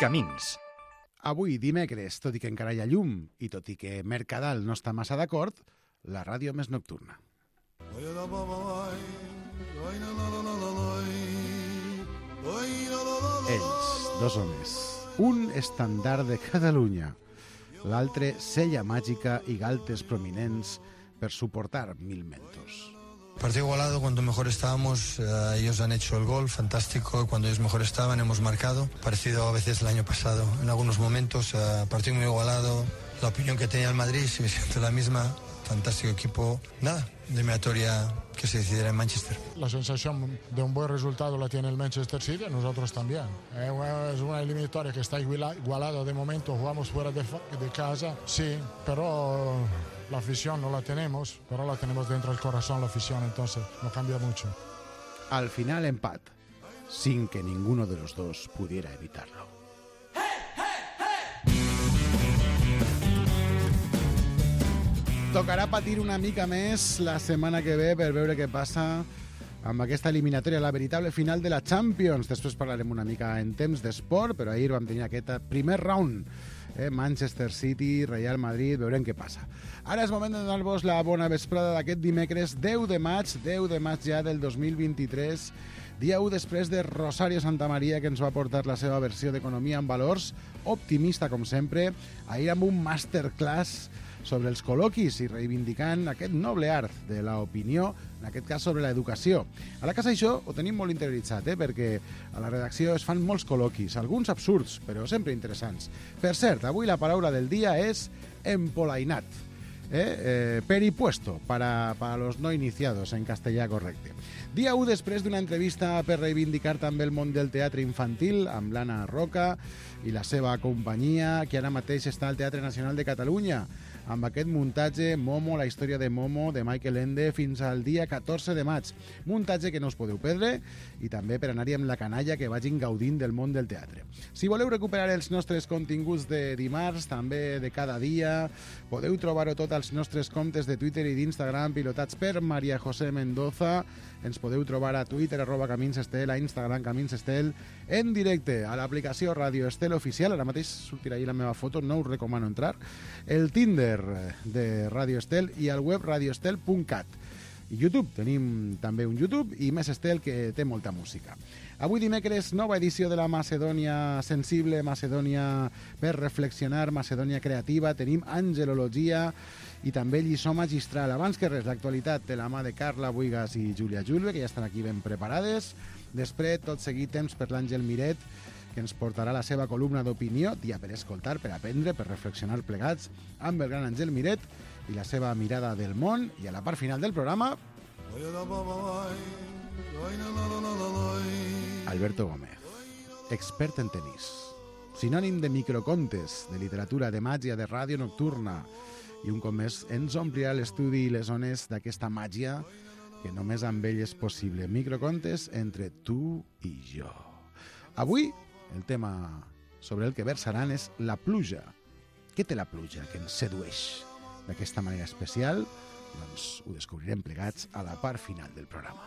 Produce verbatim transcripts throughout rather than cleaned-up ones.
Camins. Avui, dimecres, tot i que encara hi ha llum i tot i que Mercadal no està massa d'acord, la ràdio més nocturna. Ells, dos homes, un estandard de Catalunya, l'altre sella màgica i galtes prominents per suportar mil mentos. Partido igualado, cuando mejor estábamos, uh, ellos han hecho el gol, fantástico, cuando ellos mejor estaban hemos marcado, parecido a veces el año pasado, en algunos momentos, uh, partido muy igualado, la opinión que tenía el Madrid sigue siendo la misma, fantástico equipo, nada, de eliminatoria que se decidirá en Manchester. La sensación de un buen resultado la tiene el Manchester City, nosotros también. Es una eliminatoria que está igualada de momento, jugamos fuera de, de casa, sí, pero la afición no la tenemos, pero la tenemos dentro del corazón, la afición, entonces no cambia mucho. Al final empat, sin que ninguno de los dos pudiera evitarlo. Tocarà patir una mica més la setmana que ve per veure què passa amb aquesta eliminatòria, la veritable final de la Champions. Després parlarem una mica en temps d'esport, però ahir vam tenir aquest primer round. Eh? Manchester City, Real Madrid, veurem què passa. Ara és moment de donar-vos la bona vesprada d'aquest dimecres deu de maig, deu de maig ja del dos mil vint-i-tres, dia u després de Rosario Santamaría, que ens va portar la seva versió d'Economia en Valors, optimista com sempre, ahir amb un masterclass sobre els col·loquis i reivindicant aquest noble art de l'opinió, en aquest cas sobre l'educació. A la casa això ho tenim molt interioritzat, eh? Perquè a la redacció es fan molts col·loquis, alguns absurds, però sempre interessants. Per cert, avui la paraula del dia és empolainat, eh? Eh, peripuesto, para, para los no iniciados en castellà correcte. Dia u després d'una entrevista per reivindicar també el món del teatre infantil amb l'Anna Roca i la seva companyia, que ara mateix està al Teatre Nacional de Catalunya, amb aquest muntatge Momo, la història de Momo, de Michael Ende, fins al dia catorze de maig. Muntatge que no us podeu perdre i també per anar-hi amb la canalla que vagin gaudint del món del teatre. Si voleu recuperar els nostres continguts de dimarts, també de cada dia, podeu trobar-ho tot als nostres comptes de Twitter i d'Instagram pilotats per Maria José Mendoza. Ens podeu trobar a Twitter, arroba Camins Estel, a Instagram Camins Estel, en directe a l'aplicació Radio Estel Oficial. Ara mateix sortirà ahí la meva foto, no us recomano entrar. El Tinder de Radio Estel i al web radioestel punt cat. I YouTube, tenim també un YouTube i Més Estel, que té molta música. Avui dimecres, nova edició de la Macedònia Sensible, Macedònia per reflexionar, Macedònia creativa. Tenim angelologia i també lliçó magistral. Abans que res, l'actualitat de la mà de Carla Buigas i Júlia Julve, que ja estan aquí ben preparades. Després, tot seguit, temps per l'Àngel Miret, que ens portarà la seva columna d'opinió, dia per escoltar, per aprendre, per reflexionar plegats, amb el gran Àngel Miret i la seva mirada del món. I a la part final del programa, Alberto Gómez, expert en tenís, sinònim de microcontes, de literatura, de màgia, de ràdio nocturna, i un cop més ens omplirà l'estudi i les zones d'aquesta màgia que només amb ell és possible. Microcontes entre tu i jo. Avui, el tema sobre el que versaran és la pluja. Què té la pluja que ens sedueix d'aquesta manera especial? Doncs ho descobrirem plegats a la part final del programa.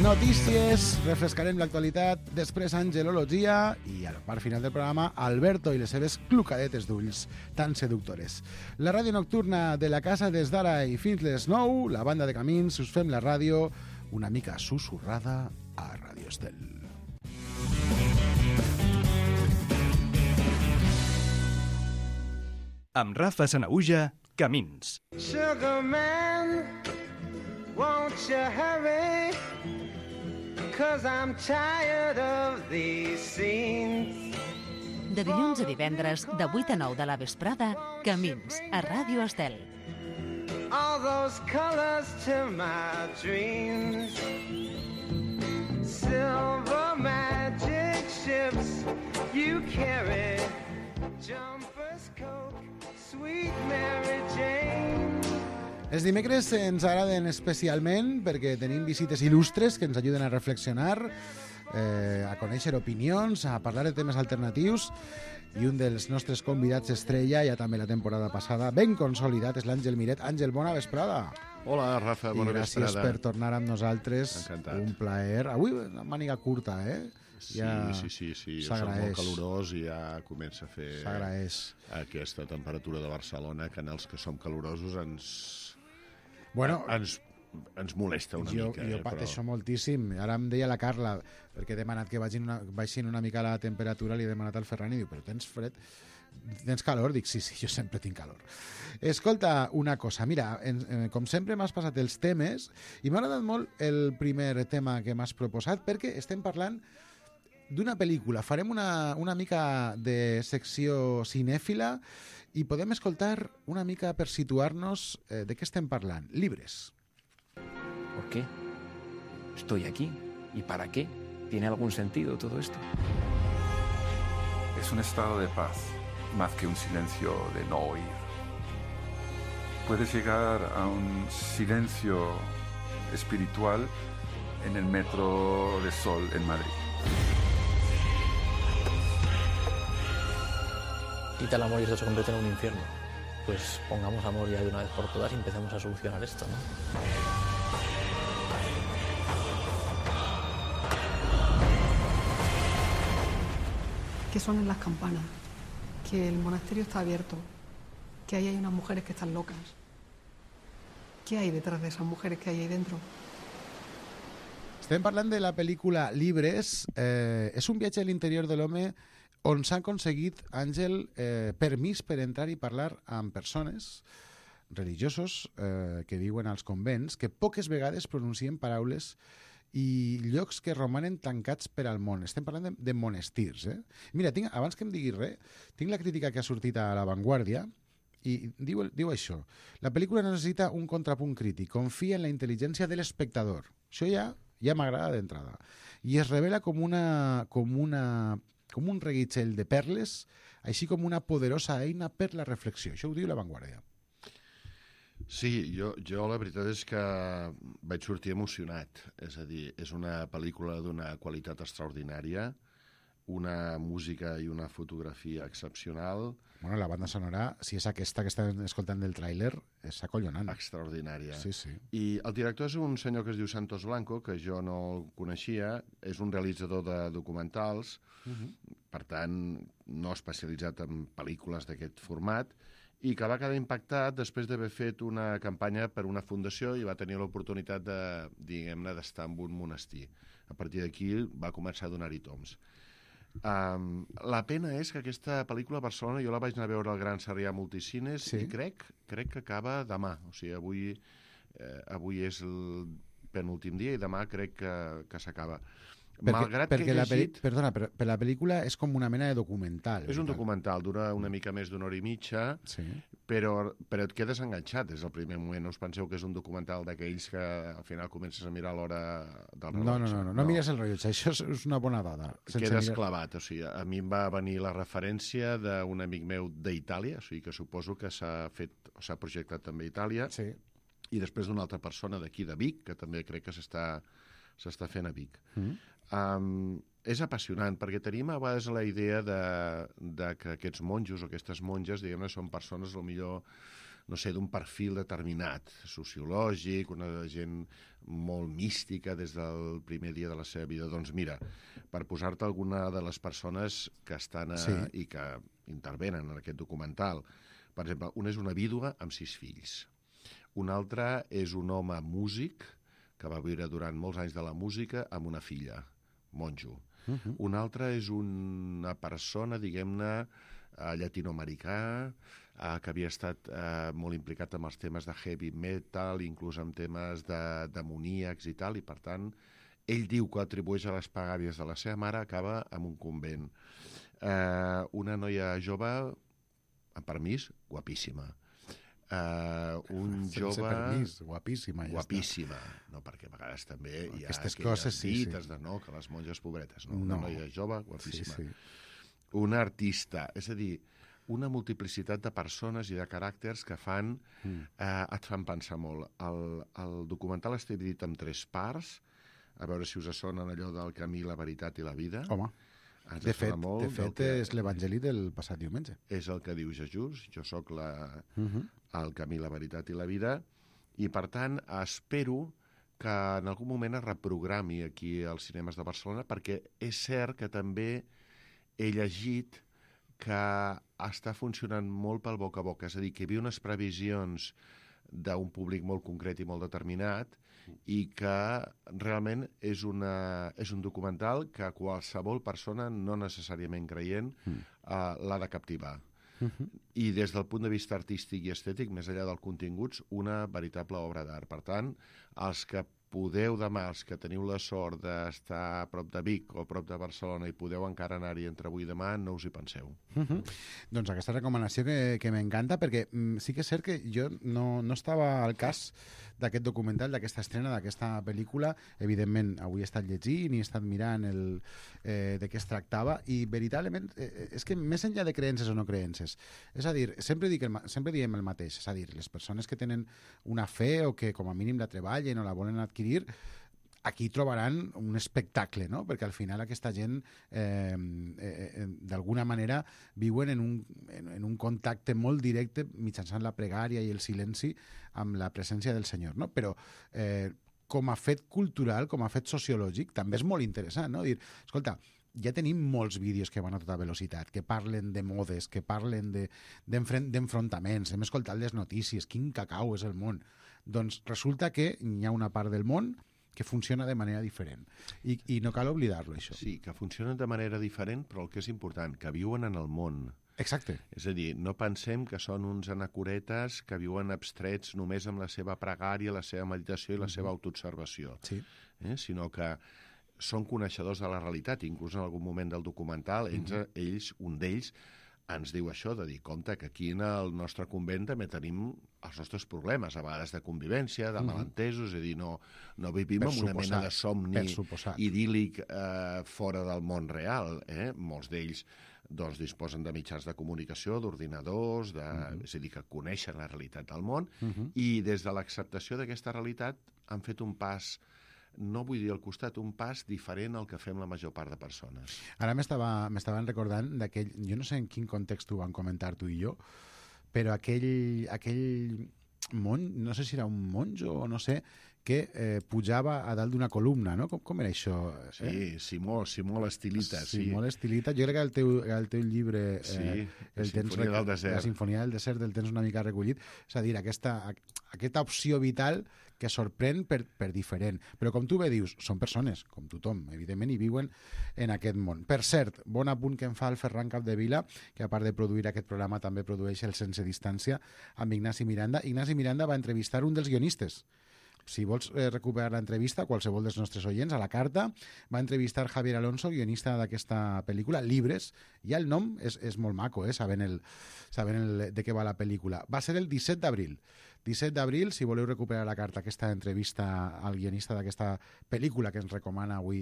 Notícies, refrescarem l'actualitat, després angelologia i a la part final del programa Alberto i les seves clucadetes d'ulls tan seductores. La ràdio nocturna de la casa des d'ara i fins les nou, la banda de Camins, us fem la ràdio una mica susurrada a Radio Estel. Amb Rafa Sanaüja, Camins. Sugar man, won't you hurry? Cause I'm tired of these scenes. De dilluns a divendres, de vuit a nou de la vesprada, Camins, a Ràdio Estel. All those colors to my dreams. Silver magic ships you carry. Jumpers, Coke, sweet Mary Jane. Els dimecres ens agraden especialment perquè tenim visites il·lustres que ens ajuden a reflexionar, eh, a conèixer opinions, a parlar de temes alternatius, i un dels nostres convidats estrella, ja també la temporada passada, ben consolidat, és l'Àngel Miret. Àngel, bona vesprada. Hola, Rafa, bona vesprada. I gràcies vesprada. per tornar amb nosaltres. Encantat. Un plaer. Avui una màniga curta, eh? Sí, ja sí, sí, sí. Jo soc s'agraeix. molt calorós i ja comença a fer S'agraeix. aquesta temperatura de Barcelona, que en els que som calorosos ens, Bueno, ens, ens molesta una jo, mica. jo eh, pateixo però... moltíssim. Ara em deia la Carla, perquè he demanat que vagin una, baixin una mica la temperatura, li he demanat al Ferran i diu, però tens fred? Tens calor? Dic, sí, sí, jo sempre tinc calor. Escolta, una cosa, mira, en, en, com sempre m'has passat els temes i m'ha agradat molt el primer tema que m'has proposat perquè estem parlant d'una pel·lícula. Farem una, una mica de secció cinèfila i podem escoltar una mica per situar-nos eh, de què estem parlant. Libres. ¿Por qué? Estoy aquí. ¿Y para qué? ¿Tiene algún sentido todo esto? Es un estado de paz, más que un silencio de no oír. Puedes llegar a un silencio espiritual en el Metro de Sol en Madrid. Quita el amor y esto se convierte en un infierno. Pues pongamos amor ya de una vez por todas y empecemos a solucionar esto, ¿no? Que suenen las campanas, que el monasterio está abierto, que ahí hay unas mujeres que están locas. ¿Qué hay detrás de esas mujeres que hay ahí dentro? Estem parlant de la pel·lícula Libres. Eh, és un viatge a l'interior de l'home on s'ha aconseguit, Àngel, eh, permís per entrar i parlar amb persones religiosos eh, que viuen als convents, que poques vegades pronuncien paraules i llocs que romanen tancats per al món. Estem parlant de, de monestirs. Eh? Mira, tinc, abans que em diguis res, tinc la crítica que ha sortit a La Vanguardia i diu, diu això. La pel·lícula necessita un contrapunt crític. Confia en la intel·ligència de l'espectador. Això ja, ja m'agrada d'entrada. I es revela com una, com una com un reguitzell de perles, així com una poderosa eina per la reflexió. Això ho diu La Vanguardia. Sí, jo, jo la veritat és que vaig sortir emocionat. És a dir, és una pel·lícula d'una qualitat extraordinària, una música i una fotografia excepcional. Bueno, la banda sonora, si és aquesta que estan escoltant del tràiler, és acollonant. Extraordinària. Sí, sí. I el director és un senyor que es diu Santos Blanco, que jo no el coneixia, és un realitzador de documentals, uh -huh. per tant, no especialitzat en pel·lícules d'aquest format, i que va quedar impactat després d'haver fet una campanya per una fundació i va tenir l'oportunitat de, diguem-ne, d'estar en un monestir. A partir d'aquí va començar a donar-hi toms. Um, la pena és que aquesta pel·lícula a Barcelona jo la vaig anar a veure al Gran Sarrià Multicines sí. i crec, crec que acaba demà. O sigui, avui, eh, avui és el penúltim dia i demà crec que, que s'acaba. Perquè, Malgrat perquè que he llegit... la perdona, per, per la pel·lícula és com una mena de documental. És un documental, dura una mica més d'una hora i mitja, sí. però, però et quedes enganxat des del primer moment. No us penseu que és un documental d'aquells que al final comences a mirar l'hora del rellotge. No, no, no, no, no mires el rellotge, això és una bona dada. Quedes mirar... clavat, o sigui, a mi em va venir la referència d'un amic meu d'Itàlia, o sigui que suposo que s'ha fet, o s'ha projectat també a Itàlia, sí. i després d'una altra persona d'aquí de Vic, que també crec que s'està s'està fent a Vic. Mm. Um, és apassionant, perquè tenim a vegades la idea de, de que aquests monjos o aquestes monges, diguem-ne, són persones, potser, no sé, d'un perfil determinat, sociològic, una gent molt mística des del primer dia de la seva vida. Doncs mira, per posar-te alguna de les persones que estan a, sí. i que intervenen en aquest documental, per exemple, una és una vídua amb sis fills, un altre és un home músic que va viure durant molts anys de la música amb una filla, monjo. Uh -huh. Un altre és una persona, diguem-ne, uh, llatinoamericà, uh, que havia estat uh, molt implicat amb els temes de heavy metal, inclús amb temes de demoníacs i tal, i per tant, ell diu que atribueix a les pagàries de la seva mare, acaba en un convent. Uh, una noia jove, amb permís, guapíssima. Uh, un Sense jove... permís, guapíssima. Ja guapíssima, està. No, perquè a vegades també hi ha aquestes aquelles coses, sí, dites sí. de no, que les monges pobretes, no? no. Una noia jove, guapíssima. Sí, sí. Un artista, és a dir, una multiplicitat de persones i de caràcters que fan, mm. eh, et fan pensar molt. El, el documental està dividit en tres parts, a veure si us sonen allò del camí, la veritat i la vida. Home. Ens de fet, molt de fet que... és l'Evangeli del passat diumenge. És el que diu Jesús, jo sóc la, uh -huh. el camí, la veritat i la vida, i per tant espero que en algun moment es reprogrami aquí als cinemes de Barcelona, perquè és cert que també he llegit que està funcionant molt pel boca a boca, és a dir, que hi havia unes previsions d'un públic molt concret i molt determinat i que realment és, una, és un documental que qualsevol persona, no necessàriament creient, mm. uh, l'ha de captivar. Uh-huh. I des del punt de vista artístic i estètic, més enllà dels continguts, una veritable obra d'art. Per tant, els que podeu demà, els que teniu la sort d'estar a prop de Vic o a prop de Barcelona i podeu encara anar-hi entre avui i demà, no us hi penseu. Uh-huh. Doncs aquesta recomanació que, que m'encanta, perquè mm, sí que és cert que jo no, no estava al cas d'aquest documental, d'aquesta estrena, d'aquesta pel·lícula. Evidentment, avui he estat llegint i he estat mirant el, eh, de què es tractava, i veritablement eh, és que més enllà de creences o no creences, és a dir, sempre, dic el, sempre diem el mateix, és a dir, les persones que tenen una fe o que com a mínim la treballen o la volen adquirir, aquí trobaran un espectacle, no? Perquè al final aquesta gent eh, eh, d'alguna manera viuen en un, en, en un contacte molt directe mitjançant la pregària i el silenci amb la presència del Senyor, no? Però eh, com a fet cultural, com a fet sociològic, també és molt interessant, no? Dir, escolta, ja tenim molts vídeos que van a tota velocitat, que parlen de modes, que parlen de, d'enfrontaments, hem escoltat les notícies, quin cacau és el món. Doncs resulta que hi ha una part del món que funciona de manera diferent. I, i no cal oblidar-lo, això. Sí, que funcionen de manera diferent, però el que és important, que viuen en el món. Exacte. És a dir, no pensem que són uns anacoretes que viuen abstrets només amb la seva pregària, la seva meditació i la mm-hmm. seva autoobservació. Sí. Eh? Sinó que són coneixedors de la realitat. Inclús en algun moment del documental, ells, mm-hmm. ells un d'ells, ens diu això, de dir, compte, que aquí en el nostre convent també tenim els nostres problemes, a vegades de convivència, de malentesos, és a dir, no, no vivim en una mena de somni idíl·lic eh, fora del món real. Eh? Molts d'ells doncs, disposen de mitjans de comunicació, d'ordinadors, de, uh-huh. és a dir, que coneixen la realitat del món, uh-huh. i des de l'acceptació d'aquesta realitat han fet un pas, no vull dir al costat, un pas diferent al que fem la major part de persones. Ara m'estaven recordant d'aquell, jo no sé en quin context ho van comentar tu i jo, però aquell, aquell mon, no sé si era un monjo o no sé, que eh, pujava a dalt d'una columna, no? Com, com era això? Eh? Sí, Simó, Simó l'Estilita. Sí. Simó l'Estilita. Jo crec que el teu, el teu llibre... Eh, sí, el la Sinfonia del Desert. La Sinfonia del Desert el tens una mica recollit. És a dir, aquesta, aquesta opció vital que sorprèn per, per diferent. Però com tu bé dius, són persones, com tothom, evidentment, i viuen en aquest món. Per cert, bon apunt que em fa el Ferran Capdevila, que a part de produir aquest programa també produeix el Sense Distància amb Ignasi Miranda. Ignasi Miranda va entrevistar un dels guionistes. Si vols eh, recuperar l'entrevista, qualsevol dels nostres oients, a la carta, va entrevistar Javier Alonso, guionista d'aquesta pel·lícula, Libres, i el nom és, és molt maco, eh, sabent, el, sabent el, de què va la pel·lícula. Va ser el disset d'abril. disset d'abril, si voleu recuperar la carta, aquesta entrevista al guionista d'aquesta pel·lícula que ens recomana avui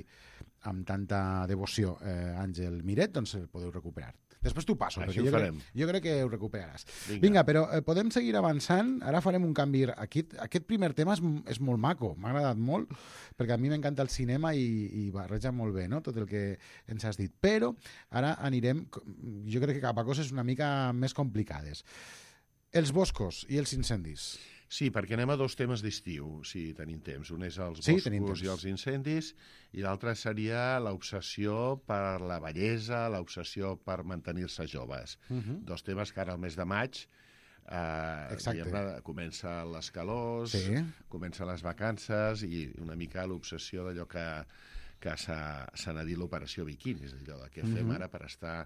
amb tanta devoció eh, Àngel Miret, doncs el podeu recuperar. Després t'ho passo, Així perquè jo crec, jo crec que ho recuperaràs. Vinga, Vinga però eh, podem seguir avançant. Ara farem un canvi. Aquest, aquest primer tema és, és molt maco, m'ha agradat molt, perquè a mi m'encanta el cinema i, i barreja molt bé, no?, tot el que ens has dit. Però ara anirem, jo crec que cap a coses una mica més complicades. Els boscos i els incendis. Sí, perquè anem a dos temes d'estiu, si tenim temps. Un és els sí, boscos i els incendis, i l'altre seria l'obsessió per la bellesa, l'obsessió per mantenir-se joves. Uh-huh. Dos temes que ara al mes de maig eh, diguem, comença les calors, sí. comencen les vacances i una mica l'obsessió d'allò que, que s'ha de dir l'operació biquini, és allò de què fem uh-huh. ara per estar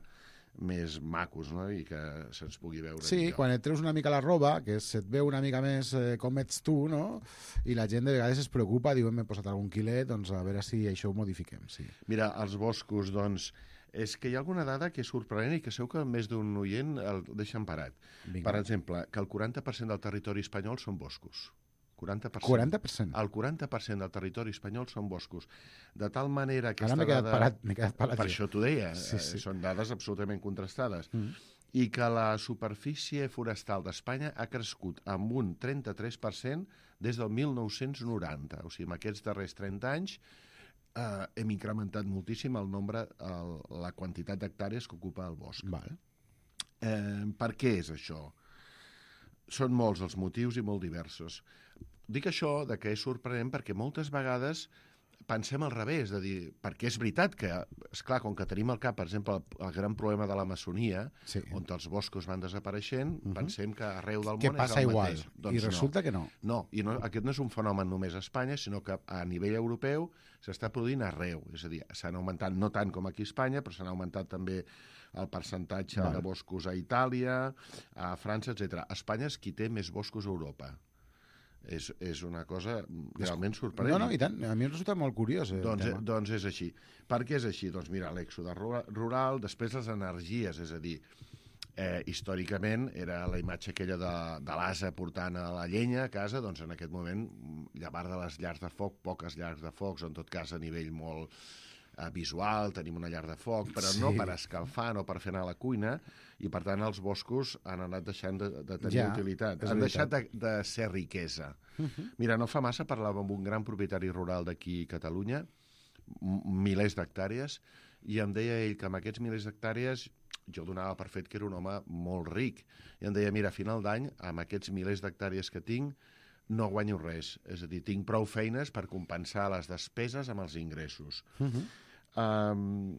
més macos, no?, i que se'ns pugui veure sí, millor. Quan et treus una mica la roba, que se't veu una mica més eh, com ets tu, no?, i la gent de vegades es preocupa, diu, m'he posat algun quilet, doncs a veure si això ho modifiquem. Sí. Mira, els boscos, doncs, és que hi ha alguna dada que és sorprenent i que segur que més d'un oient el deixen parat. Vinga. Per exemple, que el quaranta per cent del territori espanyol són boscos. quaranta per cent. quaranta per cent? El quaranta per cent del territori espanyol són boscos. De tal manera que... Ara m'he quedat, parat, m'he quedat parat. Per això t'ho deia. Sí, sí. Són dades absolutament contrastades. Mm. I que la superfície forestal d'Espanya ha crescut amb un trenta-tres per cent des del mil nou-cents noranta. O sigui, en aquests darrers trenta anys eh, hem incrementat moltíssim el nombre, el, la quantitat d'hectàrees que ocupa el bosc. Vale. Eh, per què és això? Són molts els motius i molt diversos. Dic això de que és sorprenent perquè moltes vegades pensem al revés, de dir, perquè és veritat que, esclar, com que tenim al cap, per exemple, el, el gran problema de la maçonia, sí. on els boscos van desapareixent, uh-huh. pensem que arreu del que món passa és el igual. mateix. Doncs I resulta no. que no. No, i no, aquest no és un fenomen només a Espanya, sinó que a nivell europeu s'està produint arreu. És a dir, s'han augmentat, no tant com aquí a Espanya, però s'han augmentat també el percentatge vale. de boscos a Itàlia, a França, etcètera. Espanya és qui té més boscos a Europa. És, és una cosa realment sorprenent. No, no, i tant. A mi em resulta molt curiós. Eh, doncs, eh, doncs és així. Per què és així? Doncs mira, l'èxode rural, després les energies, és a dir, eh, històricament era la imatge aquella de, de l'ase portant a la llenya a casa, doncs en aquest moment, llevar de les llars de foc, poques llars de focs, en tot cas a nivell molt eh, visual, tenim una llar de foc, però sí. no per escalfar, no per fer anar a la cuina, i per tant els boscos han anat deixant de, de tenir ja, utilitat. Han deixat de, de ser riquesa. Uh-huh. Mira, no fa massa parlàvem amb un gran propietari rural d'aquí a Catalunya, milers d'hectàrees, i em deia ell que amb aquests milers d'hectàrees jo donava per fet que era un home molt ric. I em deia, mira, a final d'any, amb aquests milers d'hectàrees que tinc, no guanyo res. És a dir, tinc prou feines per compensar les despeses amb els ingressos. Uh-huh. Um,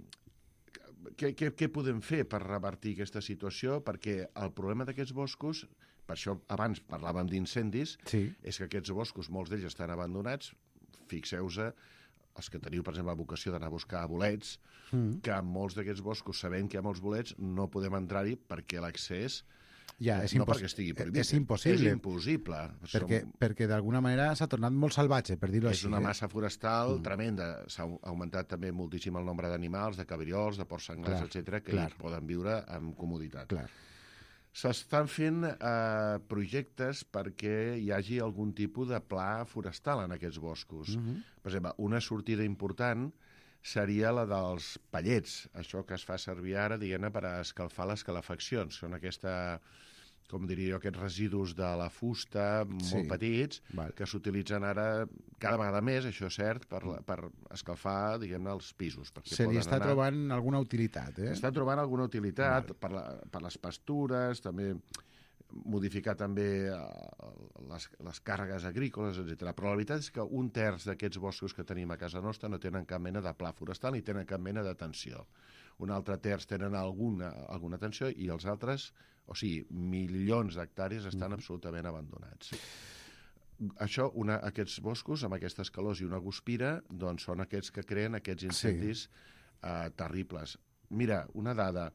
què, què, què podem fer per revertir aquesta situació? Perquè el problema d'aquests boscos, per això abans parlàvem d'incendis, sí. és que aquests boscos, molts d'ells estan abandonats. Fixeu-se, els que teniu, per exemple, la vocació d'anar a buscar bolets, mm. que en molts d'aquests boscos, sabent que hi ha molts bolets, no podem entrar-hi perquè l'accés... Ja, és no perquè estigui prohibit. És impossible. És impossible. Perquè, Som... perquè d'alguna manera s'ha tornat molt salvatge, per dir-ho així. És una eh? massa forestal mm. tremenda. S'ha augmentat també moltíssim el nombre d'animals, de cabriols, de porcs senglars, etcètera, que clar. hi poden viure amb comoditat. Clar. S'estan fent eh, projectes perquè hi hagi algun tipus de pla forestal en aquests boscos. Mm-hmm. Per exemple, una sortida important seria la dels pallets, això que es fa servir ara, diguem-ne, per a escalfar les calefaccions. Són aquesta, com diria jo, aquests residus de la fusta molt sí. petits, Val. que s'utilitzen ara cada vegada més, això és cert, per, per escalfar, diguem-ne, els pisos. Se li està anar... trobant alguna utilitat, eh? Està trobant alguna utilitat per, la, per les pastures, també modificar també les, les càrregues agrícoles, etcètera. Però la veritat és que un terç d'aquests boscos que tenim a casa nostra no tenen cap mena de pla forestal ni tenen cap mena d'atenció. Un altre terç tenen alguna, alguna atenció i els altres, o sigui, milions d'hectàrees estan mm. absolutament abandonats. Això, una, aquests boscos, amb aquestes calors i una guspira, doncs són aquests que creen aquests incendis sí. eh, terribles. Mira, una dada...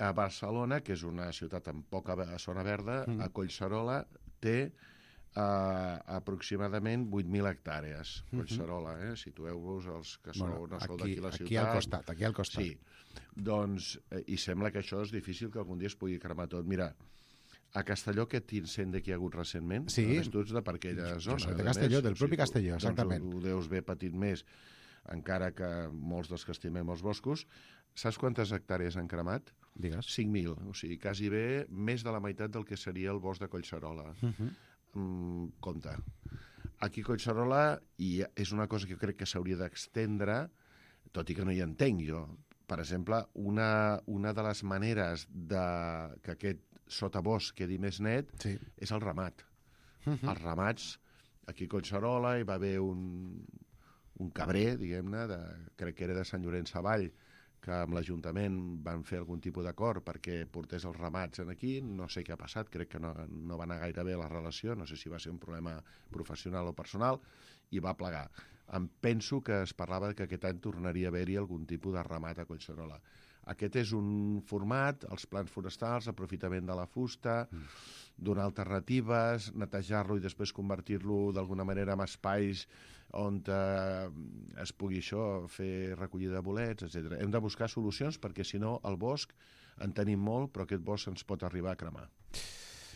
A Barcelona, que és una ciutat amb poca zona verda, mm. a Collserola té uh, aproximadament vuit mil hectàrees. Mm-hmm. Collserola, eh? Situeu-vos els que sou, bueno, no sou d'aquí la ciutat. Aquí al costat, aquí al costat. Sí. Doncs, eh, i sembla que això és difícil que algun dia es pugui cremar tot. Mira, a Castelló, aquest incendi que hi ha hagut recentment, sí. només tu ets de per aquella zona. Jo soc de Castelló, del propi Castelló, exactament. Doncs ho, ho deus haver patit més, encara que molts dels que estimem els boscos. Saps quantes hectàrees han cremat? Digues. cinc mil, o sigui, quasi bé més de la meitat del que seria el bosc de Collserola. Uh-huh. Mm, compte. Aquí a Collserola, i és una cosa que jo crec que s'hauria d'extendre, tot i que no hi entenc jo. Per exemple, una, una de les maneres de que aquest sotabosc quedi més net sí. és el ramat. Uh-huh. Els ramats, aquí a Collserola hi va haver un, un cabrer, diguem-ne, de, crec que era de Sant Llorenç Savall, que amb l'Ajuntament van fer algun tipus d'acord perquè portés els ramats aquí. No sé què ha passat, crec que no, no va anar gaire bé la relació, no sé si va ser un problema professional o personal, i va plegar. Em penso que es parlava que aquest any tornaria a haver-hi algun tipus de ramat a Collserola. Aquest és un format, els plans forestals, aprofitament de la fusta, mm. donar alternatives, netejar-lo i després convertir-lo d'alguna manera en espais on eh, es pugui això, fer recollida de bolets, etcètera. Hem de buscar solucions perquè, si no, el bosc en tenim molt, però aquest bosc ens pot arribar a cremar.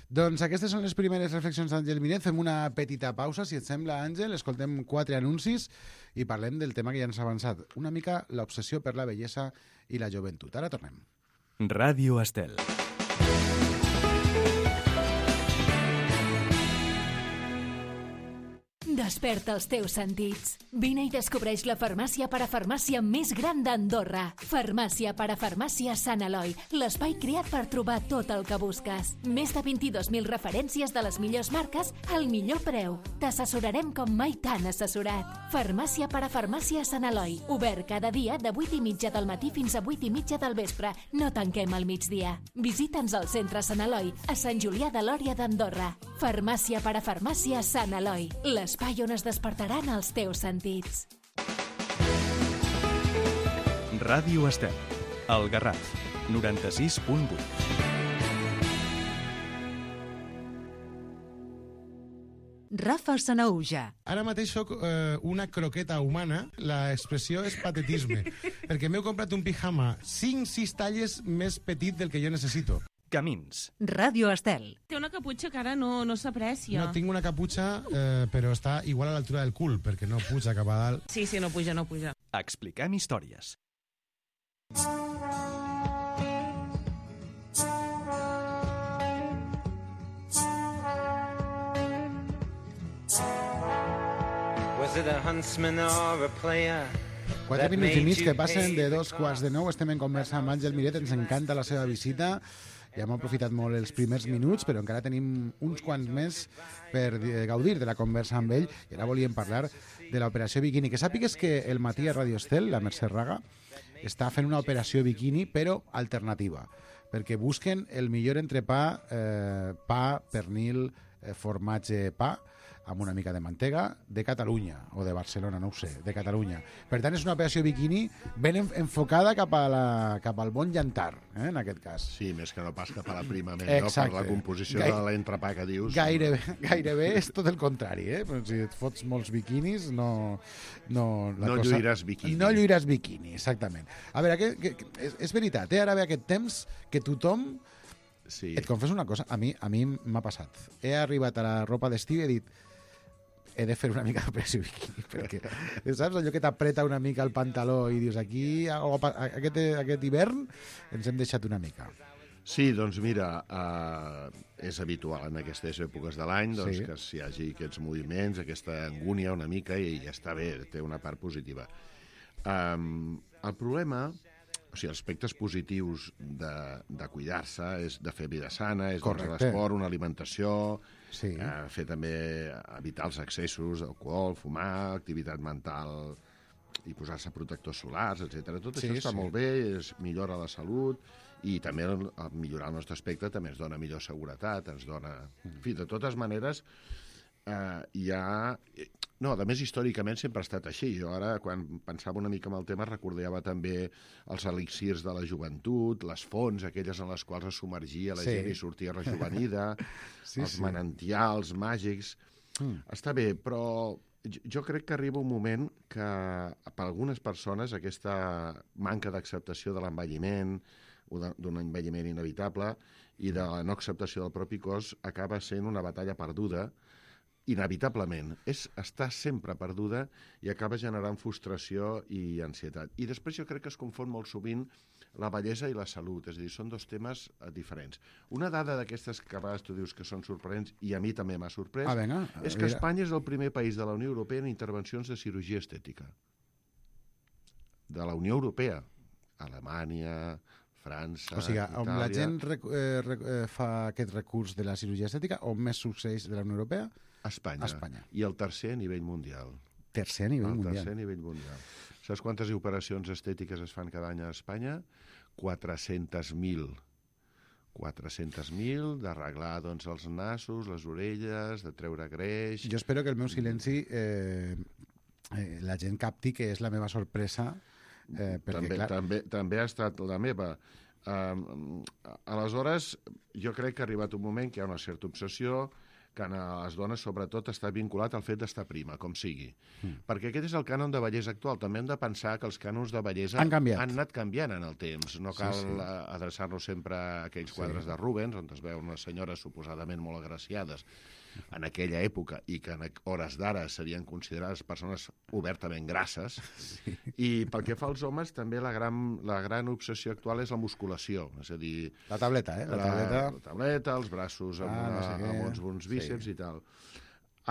Doncs aquestes són les primeres reflexions d'Àngel Miret. Fem una petita pausa, si et sembla, Àngel. Escoltem quatre anuncis i parlem del tema que ja ens ha avançat. Una mica l'obsessió per la bellesa i la joventut. Ara tornem. Ràdio Estel. Desperta els teus sentits. Vine i descobreix la farmàcia parafarmàcia més gran d'Andorra. Farmàcia parafarmàcia Sant Eloi, l'espai creat per trobar tot el que busques. Més de vint-i-dos mil referències de les millors marques al millor preu. T'assessorarem com mai t'han assessorat. Farmàcia parafarmàcia Sant Eloi, obert cada dia de vuit i mitja del matí fins a vuit i mitja del vespre. No tanquem al migdia. Visita'ns al centre Sant Eloi, a Sant Julià de Lòria d'Andorra. Farmàcia parafarmàcia Sant Eloi, l'espai on es despertaran els teus sentits. Ràdio Estel, El Garraf, noranta-sis punt vuit. Rafa Sanaúja. Ara mateix soc eh, una croqueta humana, l'expressió és patetisme, perquè m'heu comprat un pijama cinc sis talles més petit del que jo necessito. Camins. Ràdio Estel. Té una caputxa que ara no, no s'aprecia. No, tinc una caputxa, eh, però està igual a l'altura del cul, perquè no puja cap a dalt. Sí, sí, no puja, no puja. Expliquem històries. Was it a huntsman or a player? Quatre minuts i mig que passen de dos quarts de nou. Estem en conversa amb Àngel Miret, ens encanta la seva visita. Ja hem aprofitat molt els primers minuts, però encara tenim uns quants més per gaudir de la conversa amb ell. I ara volíem parlar de l'operació Bikini. Que sàpigues que el matí a Radio Estel, la Mercè Raga, està fent una operació Bikini, però alternativa, perquè busquen el millor entrepà, eh, pa, pernil, eh, formatge, pa, amb una mica de mantega, de Catalunya, o de Barcelona, no ho sé, de Catalunya. Per tant, és una operació Bikini ben enfocada cap, a la, cap al bon llantar, eh, en aquest cas. Sí, més que no pas cap a la prima, no? Exacte. Per la composició Gai... de l'entrepà que dius. Gairebé, gairebé és tot el contrari, eh? Però si et fots molts biquinis, no... No, la no cosa... lluiràs biquini. No lluiràs biquini, exactament. A veure, que, que, que, és, és veritat, eh? Ara ve aquest temps que tothom... Sí. Et confesso una cosa, a mi a mi m'ha passat. He arribat a la ropa d'estiu i he dit he de fer una mica d'operació bikini, perquè, saps, allò que t'apreta una mica el pantaló i dius, aquí, aquest, aquest hivern, ens hem deixat una mica. Sí, doncs mira, uh, és habitual en aquestes èpoques de l'any doncs, sí. que hi hagi aquests moviments, aquesta angúnia una mica, i ja està bé, té una part positiva. Um, el problema, o sigui, els aspectes positius de, de cuidar-se és de fer vida sana, és doncs, l'esport, una alimentació, sí. eh, fer també, evitar els excessos d'alcohol, fumar, activitat mental i posar-se protectors solars, etcètera. Tot sí, això està sí. molt bé, és, millora la salut, i també el, el millorar el nostre aspecte també ens dona millor seguretat, ens dona... En fi, de totes maneres, eh, hi ha... No, a més, històricament sempre ha estat així. Jo ara, quan pensava una mica en el tema, recordava també els elixirs de la joventut, les fonts, aquelles en les quals es submergia la sí. gent i sortia rejuvenida, sí, els sí. manantials màgics... Mm. Està bé, però jo crec que arriba un moment que per algunes persones aquesta manca d'acceptació de l'envelliment, d'un envelliment inevitable, i de la no acceptació del propi cos acaba sent una batalla perduda, inevitablement. És estar sempre perduda i acaba generant frustració i ansietat. I després jo crec que es confon molt sovint la bellesa i la salut, és a dir, són dos temes diferents. Una dada d'aquestes que a vegades tu dius que són sorprenents, i a mi també m'ha sorprès, ah, venga, és que Espanya és el primer país de la Unió Europea en intervencions de cirurgia estètica. De la Unió Europea. Alemanya, França, o sigui, Itàlia... on la gent rec eh, rec eh, fa aquest recurs de la cirurgia estètica, on més succeeix de la Unió Europea? Espanya. Espanya. I el tercer a nivell mundial. Tercer a nivell el mundial. Tercer a nivell mundial. Saps quantes operacions estètiques es fan cada any a Espanya? quatre-centes mil. quatre-centes mil d'arreglar doncs, els nassos, les orelles, de treure greix... Jo espero que el meu silenci eh, eh, la gent capti que és la meva sorpresa. Eh, perquè, també, clar... també, també ha estat la meva. Uh, aleshores, jo crec que ha arribat un moment que hi ha una certa obsessió que a les dones, sobretot, està vinculat al fet d'estar prima, com sigui. Mm. Perquè aquest és el cànon de bellesa actual. També hem de pensar que els cànons de bellesa han, han anat canviant en el temps. No cal sí, sí. adreçar-nos sempre a aquells quadres sí. de Rubens, on es veuen unes senyores suposadament molt agraciades en aquella època i que en hores d'ara serien considerades persones obertament grasses. Sí. I pel que fa als homes, també la gran, la gran obsessió actual és la musculació. És a dir... La tableta, eh? La, la, tableta. la tableta, els braços amb, ah, una, no sé amb uns bons bíceps sí. i tal.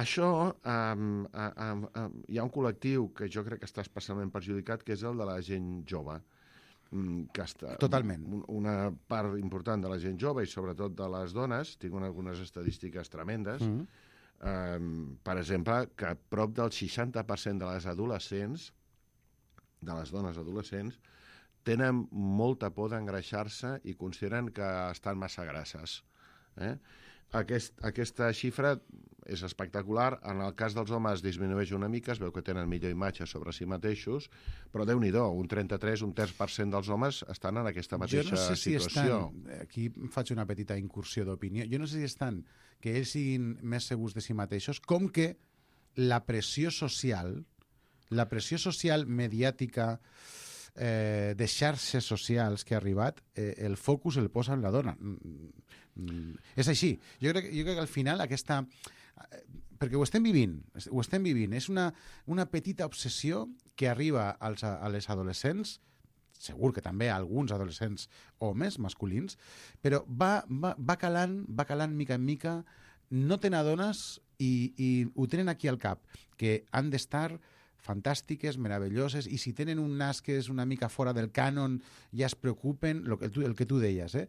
Això, um, um, um, hi ha un col·lectiu que jo crec que està especialment perjudicat, que és el de la gent jove. Que està, Totalment. Una part important de la gent jove i sobretot de les dones, tinc algunes estadístiques tremendes, mm-hmm. um, per exemple, que prop del seixanta per cent de les adolescents, de les dones adolescents, tenen molta por d'engreixar-se i consideren que estan massa grasses. Eh? Aquest, aquesta xifra és espectacular. En el cas dels homes disminueix una mica, es veu que tenen millor imatge sobre si mateixos, però Déu-n'hi-do, un trenta-tres, un terç per cent dels homes estan en aquesta mateixa jo no sé si situació. Estan, aquí faig una petita incursió d'opinió, jo no sé si estan que ells siguin més segurs de si mateixos, com que la pressió social, la pressió social mediàtica, eh, de xarxes socials que ha arribat, eh, el focus el posa en la dona. Mm, mm, és així. Jo crec, jo crec que al final aquesta... perquè ho estem vivint, ho estem vivint. És una, una petita obsessió que arriba als, a les adolescents, segur que també a alguns adolescents homes, masculins, però va, va, va calant, va calant mica en mica, no te n'adones i, i ho tenen aquí al cap, que han d'estar fantàstiques, meravelloses, i si tenen un nas que és una mica fora del cànon ja es preocupen, el que tu, el que tu deies. Eh?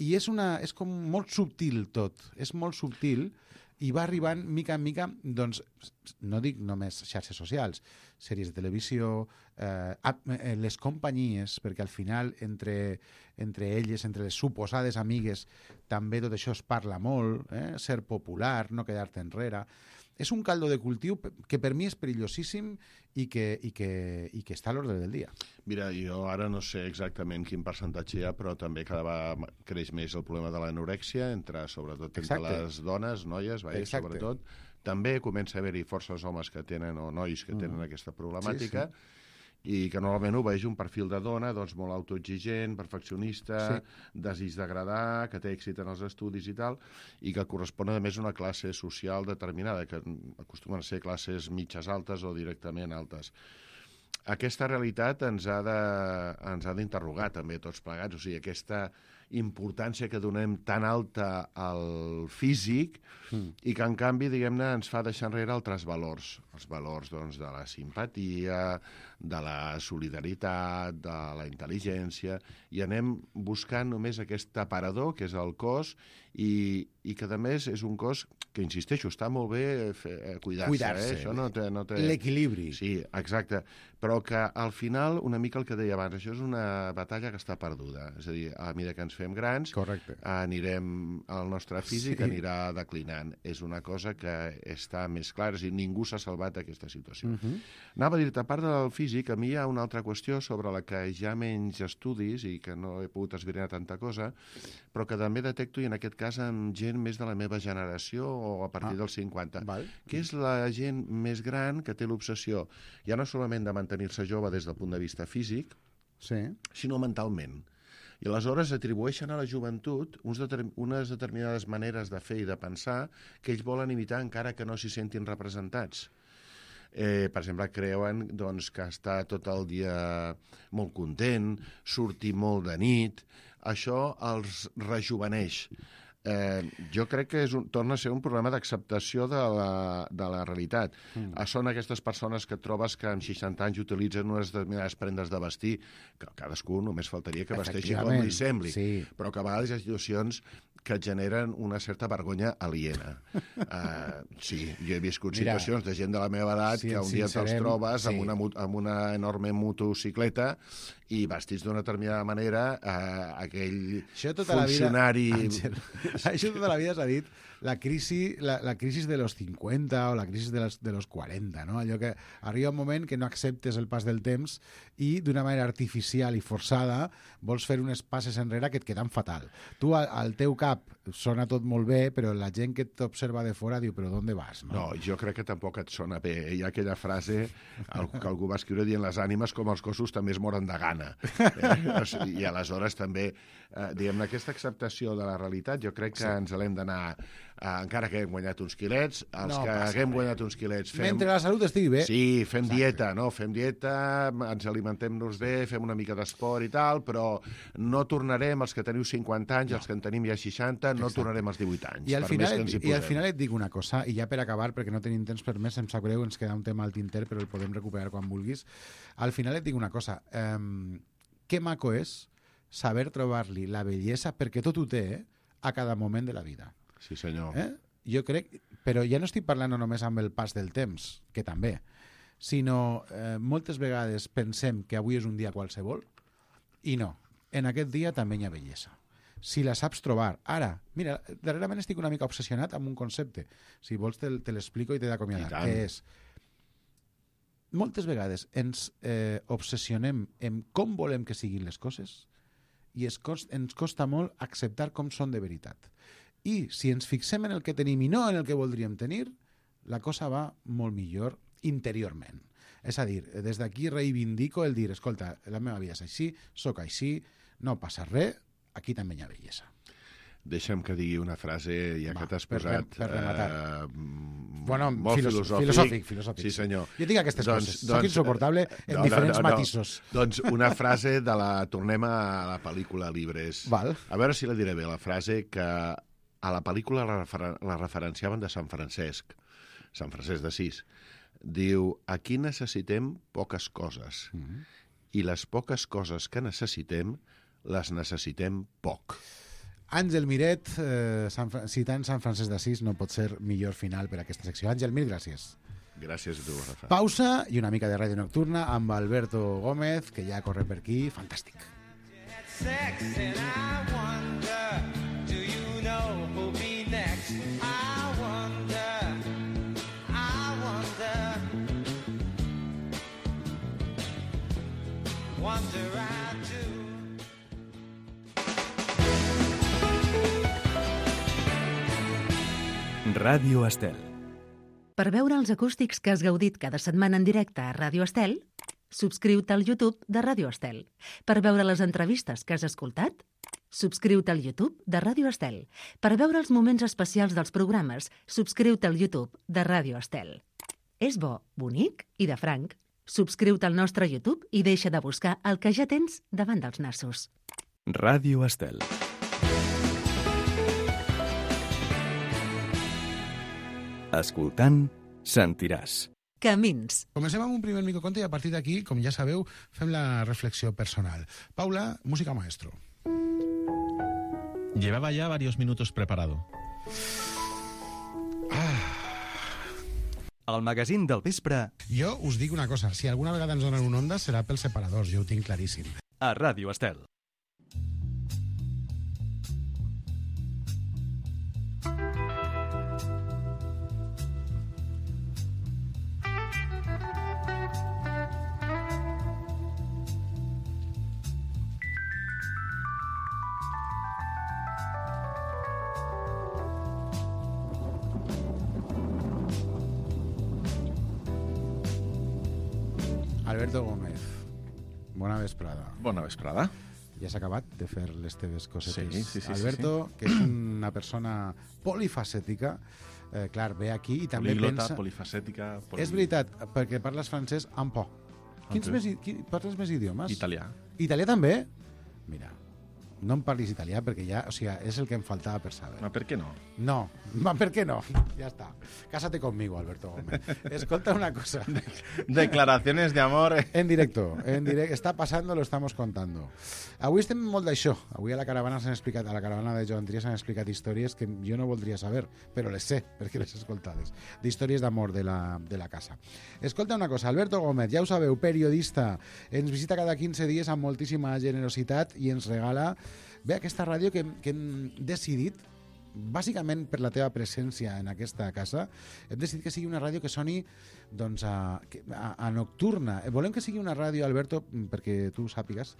I és, una, és com molt subtil tot, és molt subtil, i va arribant mica en mica, doncs, no dic només xarxes socials, sèries de televisió, eh, les companyies, perquè al final entre, entre elles, entre les suposades amigues, també tot això es parla molt, eh? Ser popular, no quedar-te enrere. És un caldo de cultiu que per mi és perillosíssim i que, i que, i que està a l'ordre del dia. Mira, jo ara no sé exactament quin percentatge hi ha, però també cada vegada creix més el problema de l'anorèxia, entre, sobretot entre Exacte. les dones, noies, vaja, sobretot. També comença a haver-hi forces homes que tenen, o nois que tenen mm. aquesta problemàtica, sí, sí. i que normalment ho veig un perfil de dona doncs, molt autoexigent, perfeccionista, sí. desig d'agradar, que té èxit en els estudis i tal, i que correspon a més a una classe social determinada, que acostumen a ser classes mitges altes o directament altes. Aquesta realitat ens ha de, ens ha d'interrogar també tots plegats, o sigui, aquesta importància que donem tan alta al físic mm. i que, en canvi, diguem-ne, ens fa deixar enrere altres valors. Els valors, doncs, de la simpatia, de la solidaritat, de la intel·ligència, i anem buscant només aquest aparador, que és el cos, i, i que, a més, és un cos que, insisteixo, està molt bé cuidar-se. Cuidar-se. Eh? Això no té, no té... L'equilibri. Sí, exacte. Però que, al final, una mica el que deia abans, això és una batalla que està perduda. És a dir, a mesura que ens fem grans, Correcte. anirem, el nostre físic sí. anirà declinant. És una cosa que està més clara, és a dir, ningú s'ha salvat d'aquesta situació. Uh-huh. Anava a dir-te, a part del físic, a mi hi ha una altra qüestió sobre la que hi ha menys estudis i que no he pogut esbrinar tanta cosa, però que també detecto, i en aquest cas amb gent més de la meva generació o a partir ah. dels cinquanta, Val. que és la gent més gran que té l'obsessió, ja no solament de mantenir-se jove des del punt de vista físic, sí. sinó mentalment. I aleshores atribueixen a la joventut uns determin, unes determinades maneres de fer i de pensar que ells volen imitar encara que no s'hi sentin representats. Eh, per exemple, creuen doncs, que està tot el dia molt content, sortir molt de nit, això els rejuveneix. Eh, jo crec que és un, torna a ser un problema d'acceptació de, la, de la realitat. Mm. Són aquestes persones que trobes que amb seixanta anys utilitzen unes determinades prendes de vestir, que cadascú només faltaria que vesteixi com li sembli, sí. però que a vegades hi ha situacions que generen una certa vergonya aliena. Uh, sí, jo he viscut Mira, situacions de gent de la meva edat sí, que un dia te'ls trobes sí. amb, una, amb una enorme motocicleta i vestits d'una determinada manera, uh, aquell tota funcionari... La vida, Àngel, això tota la vida s'ha dit la crisi, la, la crisi de los cincuenta o la crisi de los, de los quaranta, no? Allò que arriba un moment que no acceptes el pas del temps i d'una manera artificial i forçada vols fer unes passes enrere que et queden fatal. Tu, al, al teu cap, sona tot molt bé, però la gent que t'observa de fora diu, però d'on vas? No? no, jo crec que tampoc et sona bé. Hi ha aquella frase que algú va escriure dient les ànimes com els cossos també es moren de gana. gana. Eh? I aleshores també, eh, diguem-ne, aquesta acceptació de la realitat, jo crec que sí. ens l'hem d'anar, eh, encara que hem guanyat uns quilets, els no que haguem guanyat uns quilets... Fem... Mentre la salut estigui bé. Sí, fem Exacte. dieta, no? Fem dieta, ens alimentem-nos bé, fem una mica d'esport i tal, però no tornarem, els que teniu cinquanta anys, no. els que en tenim ja seixanta, no Exacte. tornarem als divuit anys. I al, per final, més que ens hi I al posem. final et dic una cosa, i ja per acabar, perquè no tenim temps per més, em sap greu, ens queda un tema al tinter, però el podem recuperar quan vulguis. Al final et dic una cosa, eh, que maco és saber trobar-li la bellesa, perquè tot ho té, eh, a cada moment de la vida. Sí, senyor. Eh? Jo crec, però ja no estic parlant només amb el pas del temps, que també, sinó eh, moltes vegades pensem que avui és un dia qualsevol, i no, en aquest dia també hi ha bellesa. Si la saps trobar. Ara, mira, darrerament estic una mica obsessionat amb un concepte. Si vols te, te l'explico i t'he d'acomiadar. Que és, moltes vegades ens eh, obsessionem en com volem que siguin les coses i es cost, ens costa molt acceptar com són de veritat. I si ens fixem en el que tenim i no en el que voldríem tenir, la cosa va molt millor interiorment. És a dir, des d'aquí reivindico el dir, escolta, la meva vida és així, sóc així, no passa res, aquí també hi ha bellesa. Deixa'm que digui una frase, ja Va, que t'has posat... Per, per rematar. Eh, bueno, molt filos filosòfic. filosòfic. Filosòfic. Sí, senyor. Jo tinc aquestes doncs, coses. Doncs, Soc insuportable en no, diferents no, no, matisos. No. Doncs una frase de la... Tornem a la pel·lícula Libres. Val. A veure si la diré bé, la frase que a la pel·lícula la, refer la referenciaven de Sant Francesc, Sant Francesc d'Assís. Diu, aquí necessitem poques coses. Mm -hmm. I les poques coses que necessitem, les necessitem poc. Àngel Miret, eh, Sant citant Sant Francesc d'Assís, no pot ser millor final per a aquesta secció. Àngel, mil gràcies. Gràcies a tu, Rafa. Pausa i una mica de ràdio nocturna amb Alberto Gómez, que ja corre per aquí. Fantàstic. Wonder I do. Ràdio Estel. Per veure els acústics que has gaudit cada setmana en directe a Ràdio Estel, subscriu-te al YouTube de Ràdio Estel. Per veure les entrevistes que has escoltat, subscriu-te al YouTube de Ràdio Estel. Per veure els moments especials dels programes, subscriu-te al YouTube de Ràdio Estel. És bo, bonic i de franc. Subscriu-te al nostre YouTube i deixa de buscar el que ja tens davant dels nassos. Ràdio Estel. Escoltant, sentiràs. Camins. Comencem amb un primer microconte i a partir d'aquí, com ja sabeu, fem la reflexió personal. Paula, música maestro. Llevaba ya varios minutos preparado. El magazín del vespre. Jo us dic una cosa, si alguna vegada ens donen un onda serà pels separadors, jo ho tinc claríssim. A Ràdio Estel. Alberto Gómez, bona vesprada. Bona vesprada. Ja s'ha acabat de fer les teves cosetes. Sí, sí, sí. Alberto, sí, sí. que és una persona polifacètica, eh, clar, ve aquí i també Políglota, pensa... polifacètica... Poli... És veritat, perquè parles francès amb por. Quins més, qui, parles més idiomes? Italià. Italià també? Mira, no em parlis italià perquè ja, o sigui, és el que em faltava per saber. Ma per què no? No, ma per què no? Ja està. Cásate conmigo, Alberto Gómez. Escolta una cosa. Declaraciones de amor. En directo, en directo. Està passant, lo estamos contando. Avui estem molt d'això. Avui a la caravana s'han explicat, a la caravana de Joan Trias s'han explicat històries que jo no voldria saber, però les sé, perquè les he escoltades. D'històries d'amor de la, de la casa. Escolta una cosa, Alberto Gómez, ja ho sabeu, periodista, ens visita cada quinze dies amb moltíssima generositat i ens regala bé aquesta ràdio que, que hem decidit bàsicament per la teva presència en aquesta casa, hem decidit que sigui una ràdio que soni doncs, a, a, a nocturna. Volem que sigui una ràdio, Alberto, perquè tu sàpigues,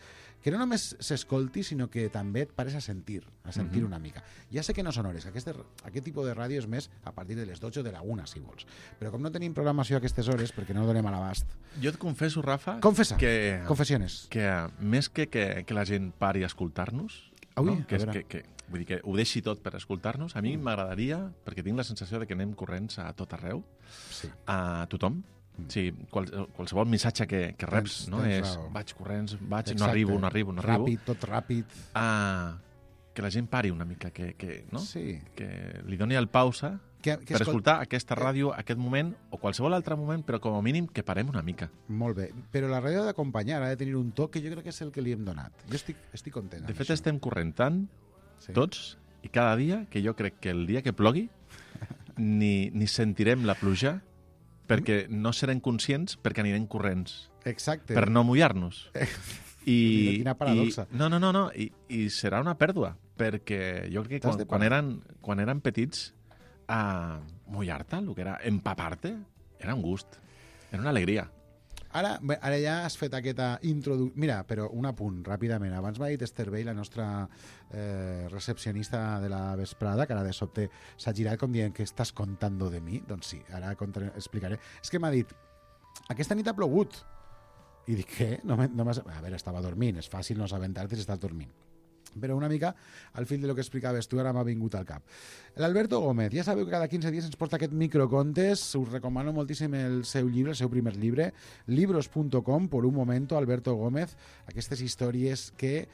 que no només s'escolti, sinó que també et pares a sentir, a sentir Mhm. una mica. Ja sé que no són hores, aquest, aquest tipus de ràdio és més a partir de les dotze o de la una, si vols. Però com no tenim programació a aquestes hores, perquè no donem a l'abast... Jo et confesso, Rafa, Confessa, que, confessiones. que eh, més que, que que la gent pari a escoltar-nos, Ui, no? que, a és, veure. que, que, vull dir que ho deixi tot per escoltar-nos, a mi m'agradaria, perquè tinc la sensació de que anem corrents a tot arreu, sí. a tothom. Sí, qual, qualsevol missatge que, que reps, Tens- no? tens És raó. vaig corrents, vaig, Exacte. no arribo, no arribo, no arribo. Ràpid, tot ràpid. Ah, que la gent pari una mica, que, que, no? Sí. que li doni el pausa Que- que per escol- escoltar aquesta ràdio, aquest moment, o qualsevol altre moment, però com a mínim que parem una mica. Molt bé, però la ràdio ha d'acompanyar, ha de tenir un toc que jo crec que és el que li hem donat. Jo estic, estic content De amb fet, això. estem corrent tant, Sí. tots, i cada dia, que jo crec que el dia que plogui ni, ni sentirem la pluja perquè no serem conscients perquè anirem corrents. Exacte. Per no mullar-nos. I, Quina paradoxa. I, no, no, no, no. I, I serà una pèrdua, perquè jo crec que T'has quan, de quan, parar. eren, quan eren petits, a mullar-te, el que era empapar-te, era un gust, era una alegria. Ara, bé, ara ja has fet aquesta introducció... Mira, però un apunt, ràpidament. Abans m'ha dit Esther Bell, la nostra eh, recepcionista de la vesprada, que ara de sobte s'ha girat com dient que estàs contando de mi. Doncs sí, ara contaré, explicaré. És que m'ha dit, aquesta nit ha plogut. I dic, què? No, me- no m'has... A veure, estava dormint, és fàcil no assabentar-te si estàs dormint. Però una mica al fil de lo que explicaves tu ara m'ha vingut al cap. L'Alberto Gómez, ja sabeu que cada quinze dies ens porta aquest microcontes, us recomano moltíssim el seu llibre, el seu primer llibre, libros punt com, por un momento, Alberto Gómez, aquestes històries que